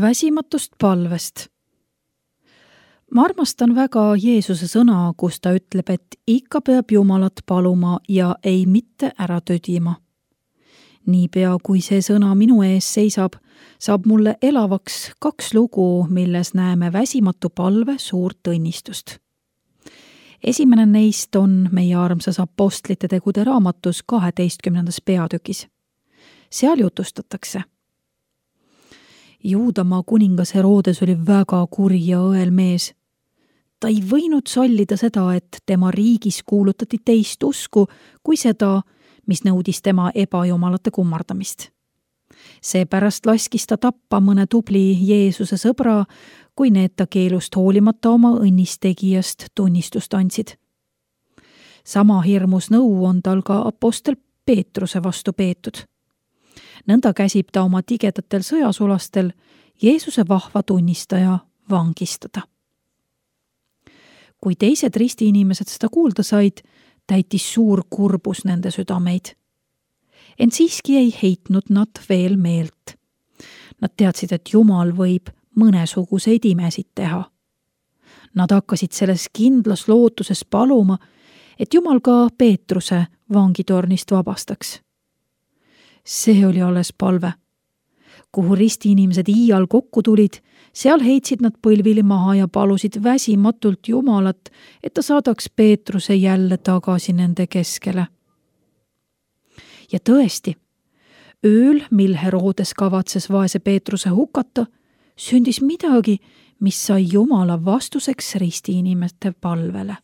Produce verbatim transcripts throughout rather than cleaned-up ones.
Väsimatust palvest. Ma armastan väga Jeesuse sõna, kus ta ütleb, et ikka peab Jumalat paluma ja ei mitte ära tödima. Niipea kui see sõna minu ees seisab, saab mulle elavaks kaks lugu, milles näeme väsimatu palve suurt õnnistust. Esimene neist on meie armsas apostlite tegude raamatus kaheteistkümnendas peatükis. Seal jutustatakse. Juudamaa kuningas Herodes oli väga kuri ja õel mees. Ta ei võinud sallida seda, et tema riigis kuulutati teist usku kui seda, mis nõudis tema ebajumalate kummardamist. Seepärast laskis ta tappa mõne tubli Jeesuse sõbra, kui need ta keelust hoolimata oma õnnistegijast tunnistust andsid. Sama hirmus nõu on tal ka apostel Peetruse vastu peetud. Nõnda käsib ta oma tigedatel sõjasulastel Jeesuse vahva tunnistaja vangistada. Kui teised ristiinimesed seda kuulda said, täitis suur kurbus nende südameid. Ent siiski ei heitnud nad veel meelt. Nad teadsid, et Jumal võib mõnesuguseid imesid teha. Nad hakkasid selles kindlas lootuses paluma, et Jumal ka Peetruse vangitornist vabastaks. See oli alles palve. Kuhu ristiinimesed iial kokku tulid, seal heitsid nad põlvili maha ja palusid väsimatult Jumalat, et ta saadaks Peetruse jälle tagasi nende keskele. Ja tõesti, ööl, mil Herodes kavatses vaese Peetruse hukata, sündis midagi, mis sai Jumala vastuseks ristiinimeste palvele.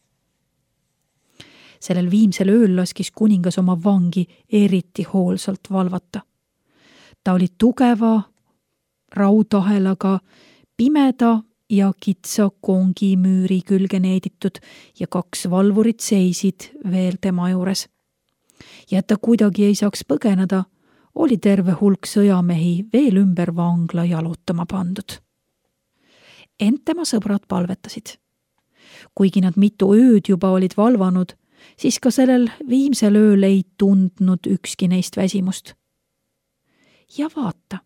Sellel viimsel ööl laskis kuningas oma vangi eriti hoolsalt valvata. Ta oli tugeva raudahelaga, pimeda ja kitsa kongimüüri külge needitud ja kaks valvurit seisid veel tema juures. Ja et ta kuidagi ei saaks põgeneda, oli terve hulk sõjamehi veel ümber vangla jalutama pandud. Ent tema sõbrad palvetasid. Kuigi nad mitu ööd juba olid valvanud, siis ka sellel viimsel ööl ei tundnud ükski neist väsimust. Ja vaata,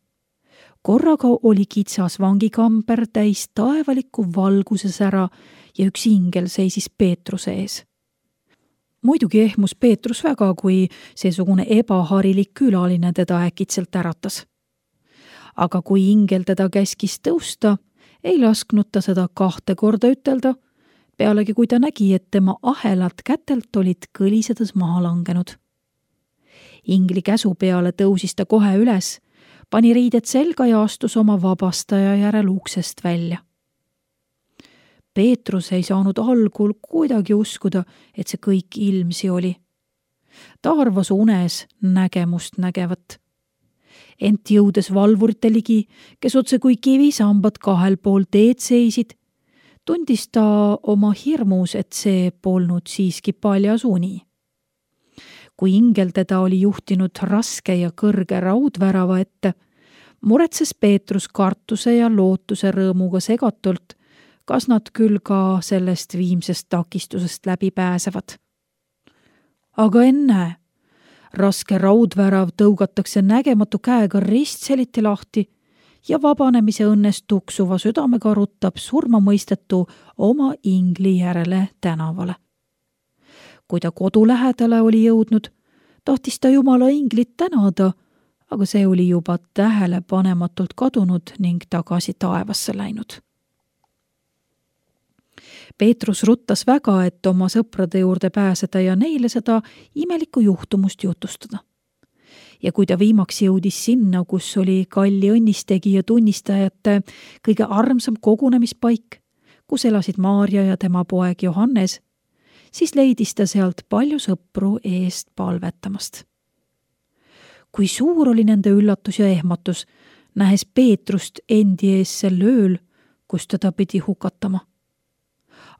korraga oli kitsas vangikamber täis taevalikku valguses ära ja üks ingel seisis Peetruse ees. Muidugi ehmus Peetrus väga, kui seesugune ebaharilik külaline teda äkitselt äratas. Aga kui ingel teda käskis tõusta, ei lasknud ta seda kahte korda ütelda, pealegi kui ta nägi, et tema ahelad kätelt olid kõlisedes maha langenud. Ingli käsu peale tõusis ta kohe üles, pani riided selga ja astus oma vabastaja järel uksest välja. Peetrus ei saanud algul kuidagi uskuda, et see kõik ilmsi oli. Ta arvas unes nägemust nägevat. Ent jõudes valvurite ligi, kes otse kui kivisambad kahel pool teed seisid, tundis ta oma hirmus, et see polnud siiski paljas uni. Kui ingel teda oli juhtinud raske ja kõrge raudvärava ette, muretses Peetrus kartuse ja lootuse rõõmuga segatult, kas nad küll ka sellest viimsest takistusest läbi pääsevad. Aga enne, raske raudvärav tõugatakse nägematu käega ristseliti lahti ja vabanemise õnnest tuksuva südamega rutab surmamõistetu oma ingli järele tänavale. Kui ta kodu lähedale oli jõudnud, tahtis ta Jumala inglit tänada, aga see oli juba tähelepanematult kadunud ning tagasi taevasse läinud. Peetrus ruttas väga, et oma sõprade juurde pääseda ja neile seda imelikku juhtumust jutustada. Ja kui ta viimaks jõudis sinna, kus oli kalli õnnistegija tunnistajate kõige armsam kogunemispaik, kus elasid Maarja ja tema poeg Johannes, siis leidis ta sealt palju sõpru eest palvetamast. Kui suur oli nende üllatus ja ehmatus, nähes Peetrust endi ees sel ööl, kus teda pidi hukatama.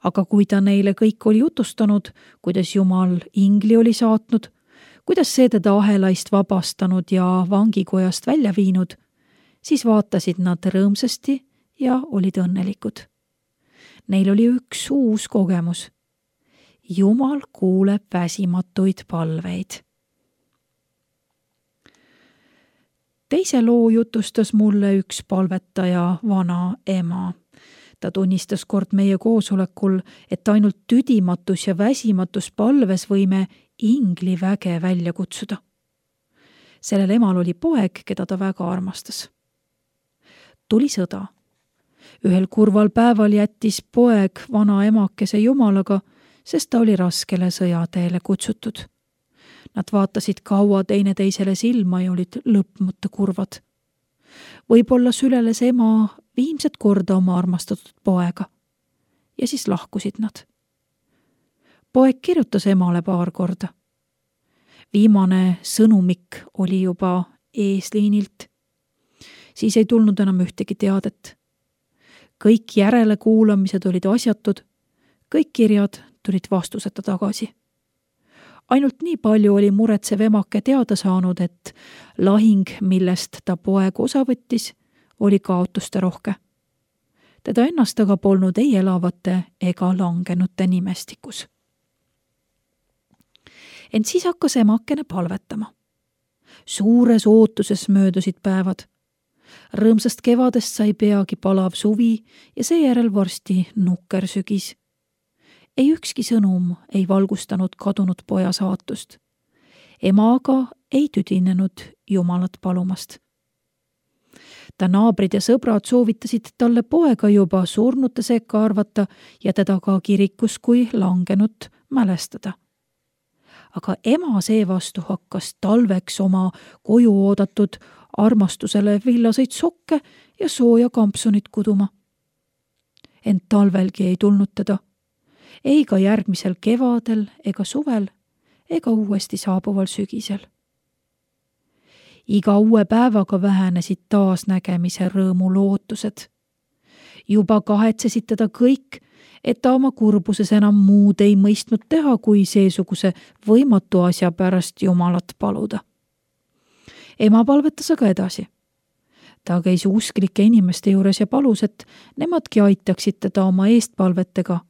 Aga kui ta neile kõik oli jutustanud, kuidas Jumal ingli oli saatnud, kuidas see teda ahelaist vabastanud ja vangikojast välja viinud, siis vaatasid nad rõõmsasti ja olid õnnelikud. Neil oli üks uus kogemus. Jumal kuuleb väsimatuid palveid. Teise loo jutustas mulle üks palvetaja vana ema. Ta tunnistas kord meie koosolekul, et ainult tüdimatus ja väsimatus palves võime ingli väge välja kutsuda. Sellel emal oli poeg, keda ta väga armastas. Tuli sõda. Ühel kurval päeval jättis poeg vana emakese jumalaga, sest ta oli raskele sõjateele kutsutud. Nad vaatasid kaua teineteisele silma ja olid lõpmata kurvad. Võib-olla süleles ema viimset korda oma armastatud poega ja siis lahkusid nad. Poeg kirjutas emale paar korda. Viimane sõnumik oli juba eesliinilt. Siis ei tulnud enam ühtegi teadet. Kõik järelekuulamised olid asjatud, kõik kirjad tulid vastuseta tagasi. Ainult nii palju oli muretsev emake teada saanud, et lahing, millest ta poeg osa võttis, oli kaotuste rohke. Teda ennast aga polnud ei elavate ega langenute nimestikus. Ent siis hakkas emakene palvetama. Suures ootuses möödusid päevad. Rõõmsast kevadest sai peagi palav suvi ja seejärel varsti nukker sügis. Ei ükski sõnum ei valgustanud kadunud poja saatust. Ema aga ei tüdinenud Jumalat palumast. Ta naabrid ja sõbrad soovitasid talle poega juba surnute sekka arvata ja teda ka kirikus kui langenut mälestada. Aga ema seevastu hakkas talveks oma koju oodatud armastusele villaseid sokke ja sooja kampsunit kuduma. Ent talvelgi ei tulnud teda. Ei ka järgmisel kevadel ega suvel ega uuesti saabuval sügisel. Iga uue päevaga vähenesid taas nägemise rõõmu lootused. Juba kahetsesid teda kõik, et ta oma kurbuses enam muud ei mõistnud teha, kui seesuguse võimatu asja pärast Jumalat paluda. Ema palvetas aga edasi. Ta käis usklike inimeste juures ja palus, et nemadki aitaksid teda oma eestpalvetega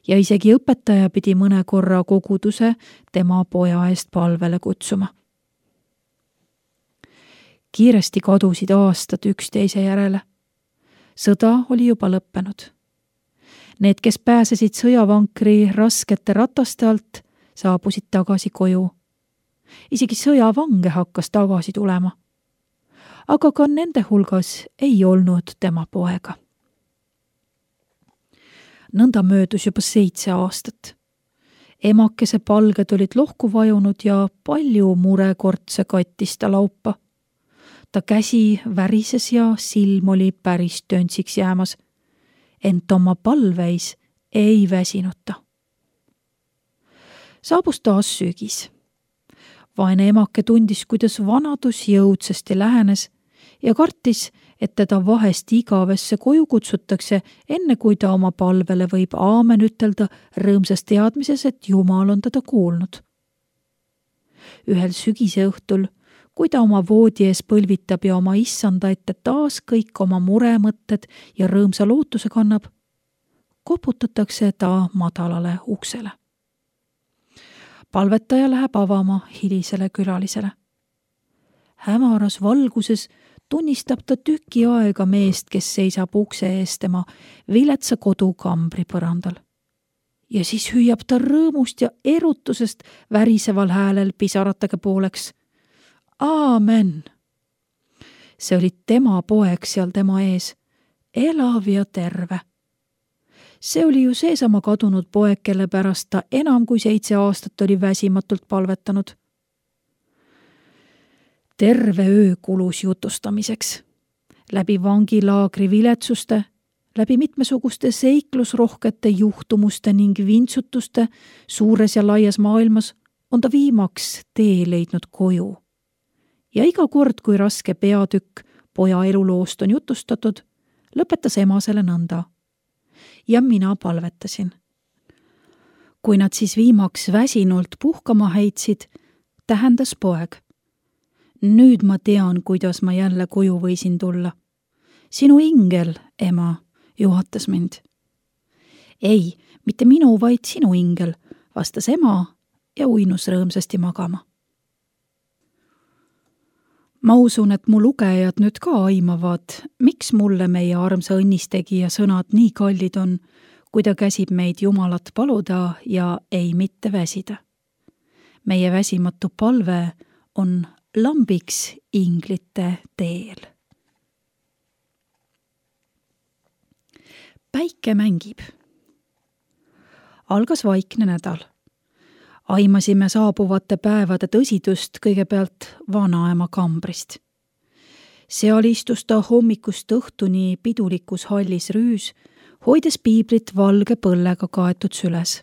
ja isegi õpetaja pidi mõne korra koguduse tema poja eest palvele kutsuma. Kiiresti kadusid aastad üksteise järele. Sõda oli juba lõppenud. Need, kes pääsesid sõjavankri raskete rataste alt, saabusid tagasi koju. Isegi sõjavange hakkas tagasi tulema. Aga ka nende hulgas ei olnud tema poega. Nõnda möödus juba seitse aastat. Emakese palged olid lohku vajunud ja palju murekortse kattis ta laupa. Ta käsi värises ja silm oli päris töntsiks jäämas, ent oma palveis ei väsinuta. Saabus taas sügis. Vaene emake tundis, kuidas vanadus jõudsasti lähenes ja kartis, et teda vahest igavesse koju kutsutakse, enne kui ta oma palvele võib aamen ütelda rõõmsas teadmises, et Jumal on teda kuulnud. Ühel sügise õhtul, kui ta oma voodi ees põlvitab ja oma issanda ette taas kõik oma muremõtted ja rõõmsa lootuse kannab, koputatakse ta madalale uksele. Palvetaja läheb avama hilisele külalisele. Hämaras valguses tunnistab ta tüki aega meest, kes seisab ukse ees tema viletsa kodu kambri põrandal. Ja siis hüüab ta rõõmust ja erutusest väriseval häälel pisaratega pooleks. Aamen! See oli tema poeg seal tema ees, elav ja terve. See oli ju seesama kadunud poeg, kelle pärast ta enam kui seitse aastat oli väsimatult palvetanud. Terve öö kulus jutustamiseks. Läbi vangilaagri viletsuste, läbi mitmesuguste seiklusrohkete juhtumuste ning vintsutuste suures ja laias maailmas on ta viimaks tee leidnud koju. Ja iga kord, kui raske peatükk poja eluloost on jutustatud, lõpetas ema selle nõnda. Ja mina palvetasin. Kui nad siis viimaks väsinult puhkama heitsid, tähendas poeg. Nüüd ma tean, kuidas ma jälle koju võisin tulla. Sinu ingel, ema, juhatas mind. Ei, mitte minu, vaid sinu ingel, vastas ema ja uinus rõõmsasti magama. Ma usun, et mu lugejad nüüd ka aimavad, miks mulle meie armsa õnnistegija sõnad nii kallid on, kui ta käsib meid Jumalat paluda ja ei mitte väsida. Meie väsimatu palve on lambiks inglite teel. Päike mängib. Algas vaikne nädal. Aimasime saabuvate päevade tõsidust kõigepealt vanaema kambrist. Seal istus ta hommikust õhtuni pidulikus hallis rüüs, hoides piiblit valge põllega kaetud süles.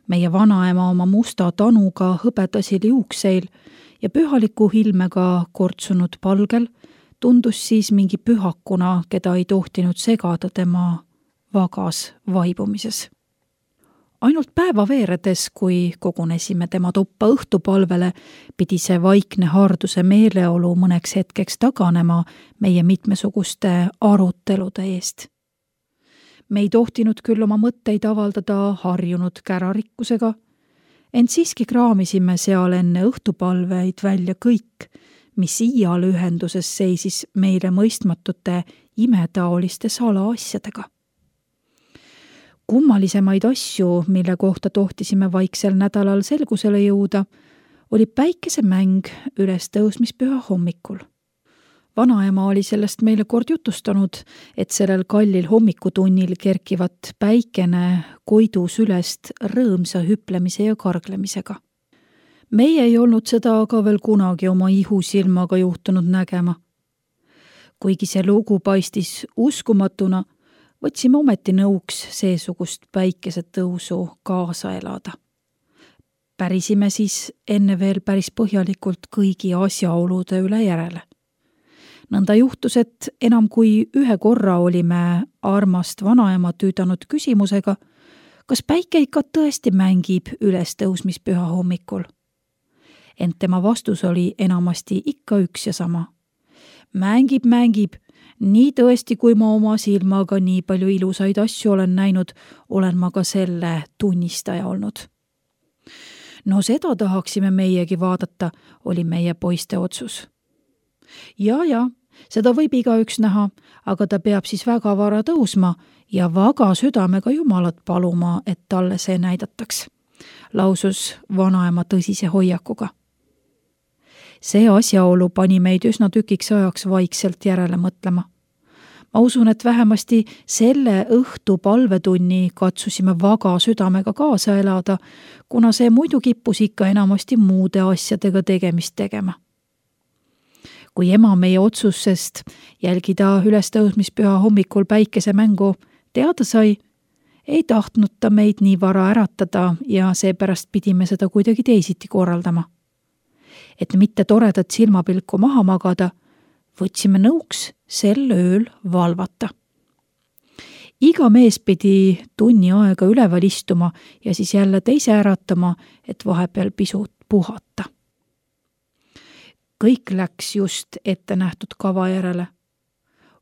Meie vanaema oma musta tanuga hõbedasil juukseil ja pühaliku ilmega kortsunud palgel tundus siis mingi pühakuna, keda ei tohtinud segada tema vagas vaibumises. Ainult päeva veeredes, kui kogunesime tema tuppa õhtupalvele, pidi see vaikne harduse meeleolu mõneks hetkeks taganema meie mitmesuguste arutelude eest. Me ei tohtinud küll oma mõtteid avaldada harjunud kärarikkusega, ent siiski kraamisime seal enne õhtupalveid välja kõik, mis iial ühenduses seisis meile mõistmatute imetaoliste salaasjadega. Kummalisemaid asju, mille kohta tohtisime vaiksel nädalal selgusele jõuda, oli päikesemäng üles tõusmispüha hommikul. Vanaema oli sellest meile kord jutustanud, et sellel kallil hommikutunnil kerkivat päikene koidus ülest rõõmsa hüplemise ja karglemisega. Meie ei olnud seda aga veel kunagi oma ihusilmaga juhtunud nägema. Kuigi see lugu paistis uskumatuna, võtsime ometi nõuks seesugust päikesetõusu kaasa elada. Pärisime siis enne veel päris põhjalikult kõigi asjaolude üle järele. Nõnda juhtus, et enam kui ühe korra olime armast vanaema tüüdanud küsimusega, kas päike ikka tõesti mängib üles tõusmispüha hommikul. Ent tema vastus oli enamasti ikka üks ja sama. Mängib, mängib. Nii tõesti, kui ma oma silmaga nii palju ilusaid asju olen näinud, olen ma ka selle tunnistaja olnud. No seda tahaksime meiegi vaadata, oli meie poiste otsus. Ja, ja, seda võib igaüks näha, aga ta peab siis väga vara tõusma ja vaga südamega Jumalat paluma, et talle see näidataks, lausus vanaema tõsise hoiakuga. See asjaolu pani meid üsna tükiks ajaks vaikselt järele mõtlema. Ma usun, et vähemasti selle õhtu palvetunni katsusime vaga südamega kaasa elada, kuna see muidu kippus ikka enamasti muude asjadega tegemist tegema. Kui ema meie otsusest jälgida ülestõusmispüha hommikul päikesemängu teada sai, ei tahtnud ta meid nii vara äratada ja seepärast pidime seda kuidagi teisiti korraldama. Et mitte toredat silmapilku maha magada, võtsime nõuks sel ööl valvata. Iga mees pidi tunni aega üleval istuma ja siis jälle teise äratama, et vahepeal pisut puhata. Kõik läks just ette nähtud kava järele.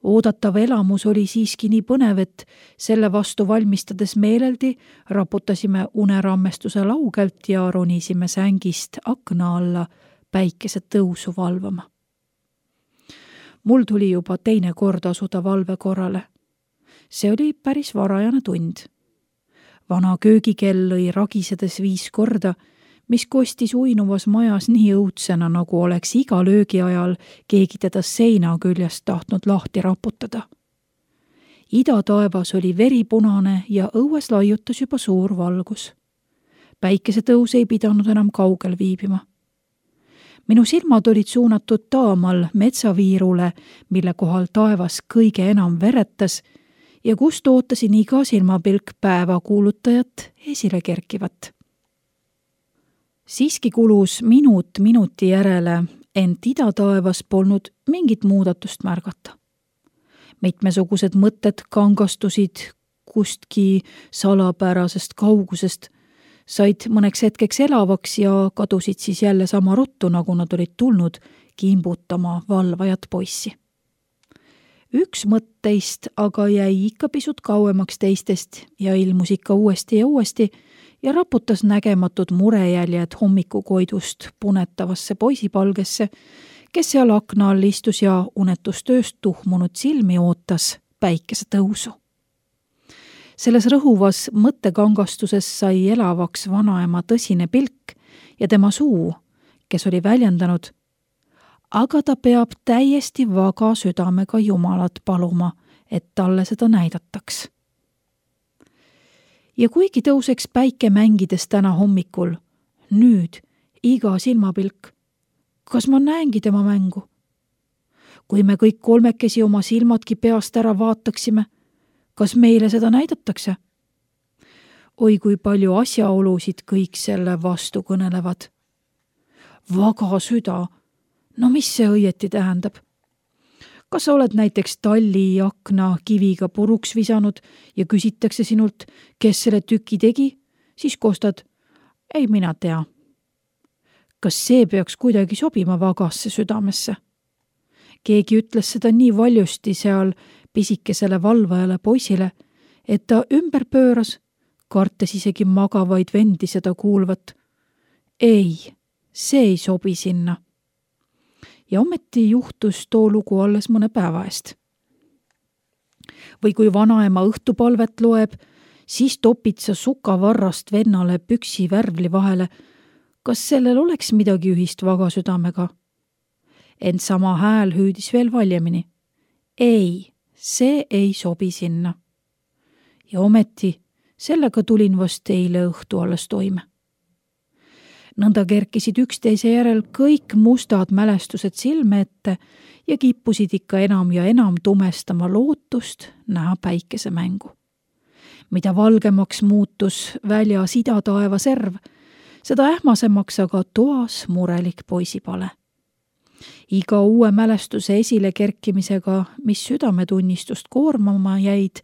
Oodatav elamus oli siiski nii põnev, et selle vastu valmistades meeleldi raputasime unerammestuse laugelt ja ronisime sängist akna alla päikese tõusu valvama. Mul tuli juba teine kord asuda valve korrale. See oli päris varajane tund. Vana köögikell lõi ragisedes viis korda, mis kostis uinuvas majas nii õudsena, nagu oleks iga löögi ajal keegi teda seina küljest tahtnud lahti raputada. Ida taevas oli veripunane ja õues laiutas juba suur valgus. Päikesetõus ei pidanud enam kaugel viibima. Minu silmad olid suunatud taamal metsaviirule, mille kohal taevas kõige enam veretas ja kust ootasin iga silmapilk päeva kuulutajat esile kerkivat. Siiski kulus minut minuti järele, ent idataevas polnud mingit muudatust märgata. Mitmesugused mõtted kangastusid kustki salapärasest kaugusest, said mõneks hetkeks elavaks ja kadusid siis jälle sama ruttu, nagu nad olid tulnud kimbutama valvajat poissi. Üks mõtteist aga jäi ikka pisut kauemaks teistest ja ilmus ikka uuesti ja uuesti ja raputas nägematud murejäljed hommikukoidust punetavasse poisipalgesse, kes seal akna all istus ja unetustööst tuhmunud silmi ootas päikese tõusu. Selles rõhuvas mõttekangastuses sai elavaks vanaema tõsine pilk ja tema suu, kes oli väljendanud, aga ta peab täiesti vaga südamega Jumalat paluma, et talle seda näidataks. Ja kuigi tõuseks päike mängides täna hommikul, nüüd iga silmapilk, kas ma näengi tema mängu? Kui me kõik kolmekesi oma silmadki peast ära vaataksime, kas meile seda näidatakse? Oi, kui palju asjaolusid kõik selle vastu kõnelevad. Vaga süda, no mis see õieti tähendab? Kas sa oled näiteks talli akna kiviga puruks visanud ja küsitakse sinult, kes selle tüki tegi, siis kostad, ei mina tea. Kas see peaks kuidagi sobima vagasse südamesse? Keegi ütles seda nii valjusti seal pisikesele valvajale poisile, et ta ümber pööras, kartes isegi magavaid vendi seda kuulvat. Ei, see ei sobi sinna. Ja ometi juhtus too lugu alles mõne päeva eest. Või kui vanaema õhtupalvet loeb, siis topid sa sukavarrast vennale püksi värvli vahele. Kas sellel oleks midagi ühist vaga südamega? Ent sama hääl hüüdis veel valjemini. Ei, see ei sobi sinna. Ja ometi sellega tulin vast eile õhtu alles toime. Nõnda kerkisid üksteise järel kõik mustad mälestused silme ette ja kippusid ikka enam ja enam tumestama lootust näha päikese mängu. Mida valgemaks muutus välja sidataeva serv, seda ähmasemaks aga toas murelik poisipale. Iga uue mälestuse esile kerkimisega, mis südametunnistust koormama jäid,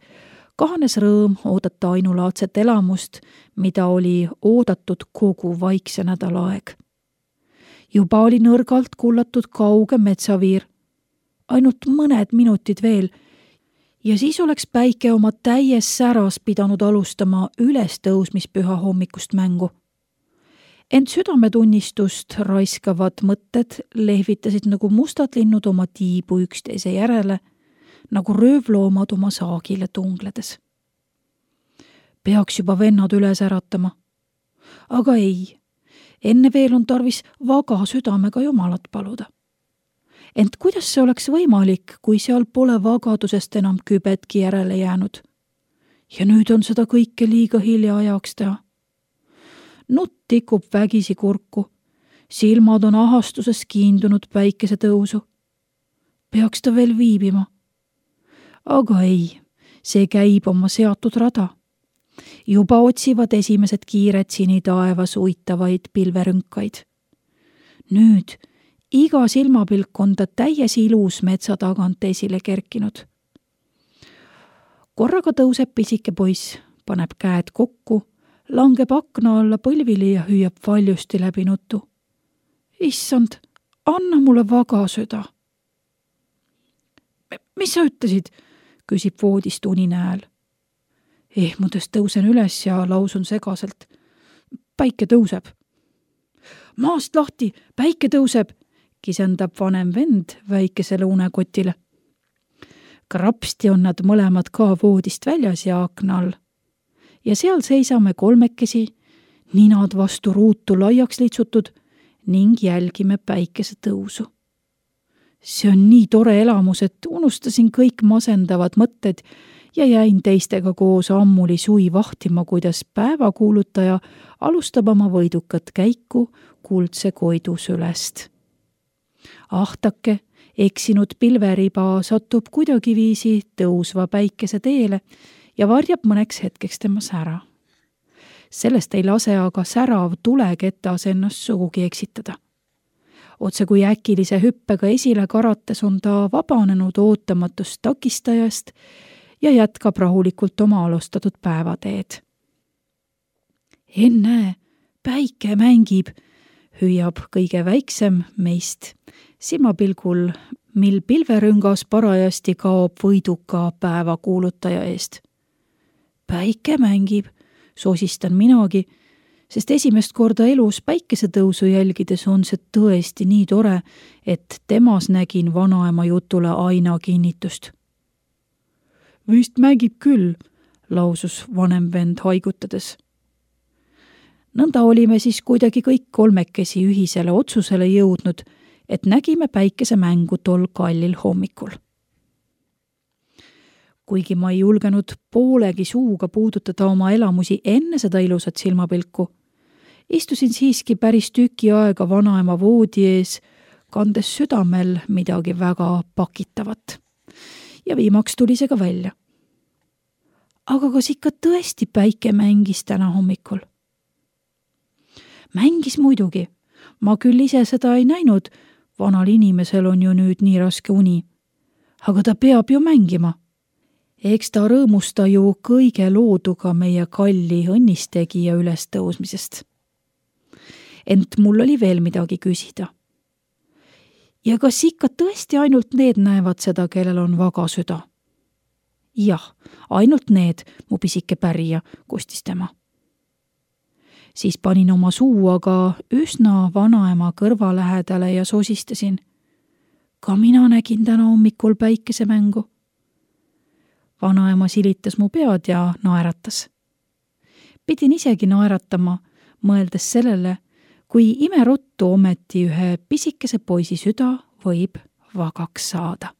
kahanes rõõm oodata ainulaadset elamust, mida oli oodatud kogu vaikse nädalaaeg. Juba oli nõrgalt kullatud kauge metsaviir, ainult mõned minutid veel, ja siis oleks päike oma täies säras pidanud alustama ülestõusmispüha hommikust mängu. Ent südametunnistust raiskavad mõtted lehvitasid nagu mustad linnud oma tiibu üksteise järele, nagu röövloomad oma saagile tungledes. Peaks juba vennad üles äratama. Aga ei, enne veel on tarvis vaga südamega Jumalat paluda. Ent kuidas see oleks võimalik, kui seal pole vagadusest enam kübetki järele jäänud? Ja nüüd on seda kõike liiga hilja ajaks teha. Nutt tikub vägisi kurku, silmad on ahastuses kiindunud päikese tõusu. Peaks ta veel viibima? Aga ei, see käib oma seatud rada. Juba otsivad esimesed kiired sinitaevas uitavaid pilverünkaid. Nüüd iga silmapilk on ta täies ilus metsa tagant esile kerkinud. Korraga tõuseb pisike poiss, paneb käed kokku, langeb akna alla põlvili ja hüüab valjusti läbi nutu. Issand, anna mulle vaga süda. Mis sa ütlesid? Küsib voodist unine hääl. Ehmudes tõusen üles ja lausun segaselt. Päike tõuseb. Maast lahti, päike tõuseb, kisendab vanem vend väikesele unekotile. Krapsti on nad mõlemad ka voodist väljas ja akna all. Ja seal seisame kolmekesi, ninad vastu ruutu laiaks litsutud ning jälgime päikese tõusu. See on nii tore elamus, et unustasin kõik masendavad mõtted ja jäin teistega koos ammuli sui vahtima, kuidas päevakuulutaja alustab oma võidukat käiku kuldse koidu sülest. Ahtake, eksinud pilveriba satub kuidagiviisi tõusva päikese teele ja varjab mõneks hetkeks temas ära. Sellest ei lase aga särav tuleketas ennast sugugi eksitada. Otse kui äkilise hüppega esile karates on ta vabanenud ootamatust takistajast ja jätkab rahulikult oma alustatud päevateed. Enne, päike mängib, hüüab kõige väiksem meist, silmapilgul, mil pilverüngas parajasti kaob võiduka päevakuulutaja eest. Päike mängib, sosistan minagi, sest esimest korda elus päikesetõusu jälgides on see tõesti nii tore, et temas nägin vanaema jutule aina kinnitust. Vist mängib küll, lausus vanem vend haigutades. Nõnda olime siis kuidagi kõik kolmekesi ühisele otsusele jõudnud, et nägime päikesemängu tol kallil hommikul. Kuigi ma ei julgenud poolegi suuga puudutada oma elamusi enne seda ilusat silmapilku, istusin siiski päris tüki aega vanaema voodi ees, kandes südamel midagi väga pakitavat. Ja viimaks tuli see ka välja. Aga kas ikka tõesti päike mängis täna hommikul? Mängis muidugi. Ma küll ise seda ei näinud, vanal inimesel on ju nüüd nii raske uni. Aga ta peab ju mängima. Eks ta rõõmusta ju kõige looduga meie kalli õnnistegija üles tõusmisest. Ent mul oli veel midagi küsida. Ja kas ikka tõesti ainult need näevad seda, kellel on vaga süda? Jah, ainult need, mu pisike pärija, kustis tema. Siis panin oma suu aga üsna vanaema kõrva lähedale ja sosistasin. Ka mina nägin täna hommikul päikesemängu. Vanaema silitas mu pead ja naeratas. Pidin isegi naeratama, mõeldes sellele, kui imeruttu ometi ühe pisikese poisi süda võib vagaks saada.